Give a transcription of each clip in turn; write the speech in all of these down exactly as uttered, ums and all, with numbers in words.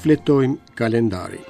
Shfletojmë kalendarin.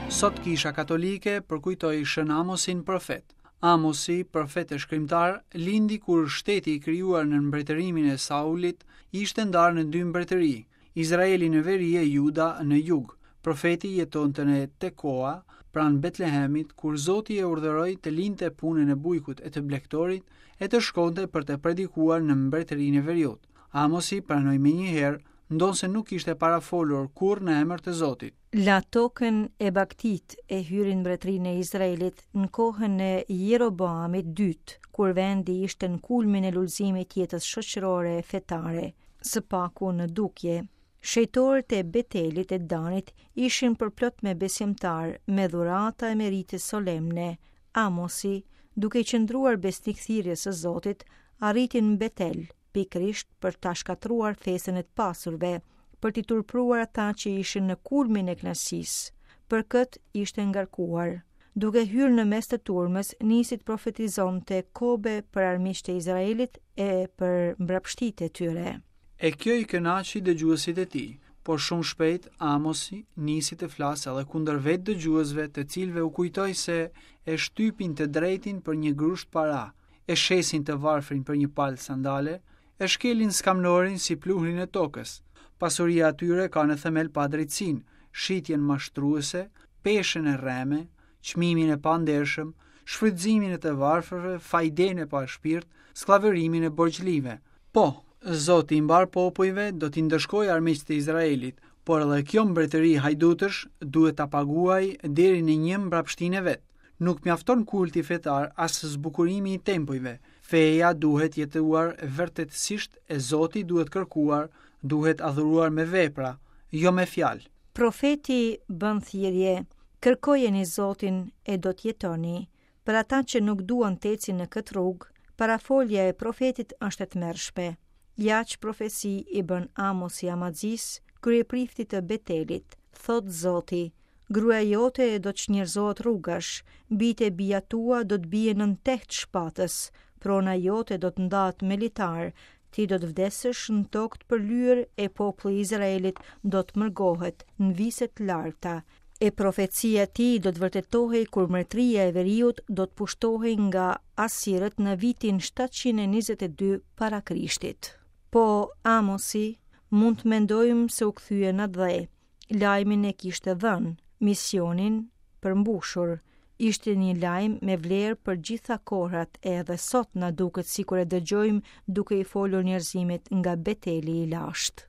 Sot Kisha Katolike përkujtoi Shën Amosin profet. Amosi, profet e shkrimtar, lindi kur shteti i krijuar në mbretërimin e Saulit ishte ndarë në dy mbretëri, Izraeli në veri e Juda në jug. Profeti jetonte në Tekoa, pranë Betlehemit, kur Zoti e urdhëroi të linte punën e bujkut e të blektorit e të shkonte për të predikuar në mbretërinë e veriut. Amosi pranoi menjëherë, ndonëse nuk ishte parafolur kurrë në emër të Zotit. La tokën e bagëtitë e hyri në mbretërinë e Izraelit në kohën e Jeroboamit dytë, kur vendi ishte në kulmin e lulëzimit të jetës shoqërore e fetare, së paku në dukje. Shejtorët e Betelit e Danit ishin përplot me besimtarë, me dhurata e me rite solemne. Amosi, duke i qëndruar besnik thirrjes së Zotit, arriti në Betel, pikërisht për ta shkatërruar festën e të pasurve, për t'i turpëruar ata që ishin në kulmin e kënaqësisë. Për këtë ishte ngarkuar. Duke hyrë në mes të turmës, nisi të profetizonte kobe për armiqtë e Izraelit e për mbrapshtitë e tyre. E kjo i kënaqi dëgjuesit e tij, por shumë shpejt Amosi nisi të flasë edhe kundër vetë dëgjuesve, të cilëve u kujtoi se e shtypin të drejtin për një grusht para, e shesin të varfrin për një palë sandale, e shkelin skamnorin si pluhrin e tokës. Pasuria e tyre ka në themel padrejtësinë, shitjen mashtruese, peshën e rreme, çmimin e pandershëm, shfrytëzimin e të varfërve, fajden e pashpirt, skllavërimin e borxhlive. Po, Zoti i mbar popujve do t'i ndëshkojë armiqtë e Izraelit, por edhe kjo mbretëri hajdutësh duhet ta paguajë deri në një mbrapshtinë e vet. Nuk mjafton kulti fetar as zbukurimi i tempujve. Feja duhet jetuar vërtetësisht e Zoti duhet kërkuar, duhet adhuruar me vepra, jo me fjalë. Profeti bën thirrje, kërkojeni Zotin e do të jetoni. Për ata që nuk duan të ecin në këtë rrugë, parafolja e profetit është e tmerrshme. Ja që profeci i bën Amosi Amazis, kryepriftit të Betelit, thot Zoti, gruaja jote do të çnjerëzohet rrugash, bijtë e bija tua do të bien nën teht shpatës, prona jote do të ndahet me litar, ti do të vdesësh në tokë të përlyer e populli i Izraelit do të mërgohet në vise të larta. E profecia e tij do të vërtetohej kur mbretëria e veriut do të pushtohej nga asirët në vitin shtatëqind e njëzet e dy para Krishtit. Po Amosi mund të mendojmë se u kthye në atdhe. Lajmin e kishte dhënë, misionin përmbushur. Ishte një lajm me vlerë për gjitha kohrat, edhe sot na duket sikur e dëgjojmë duke i folur njerëzimit nga Beteli i lashtë.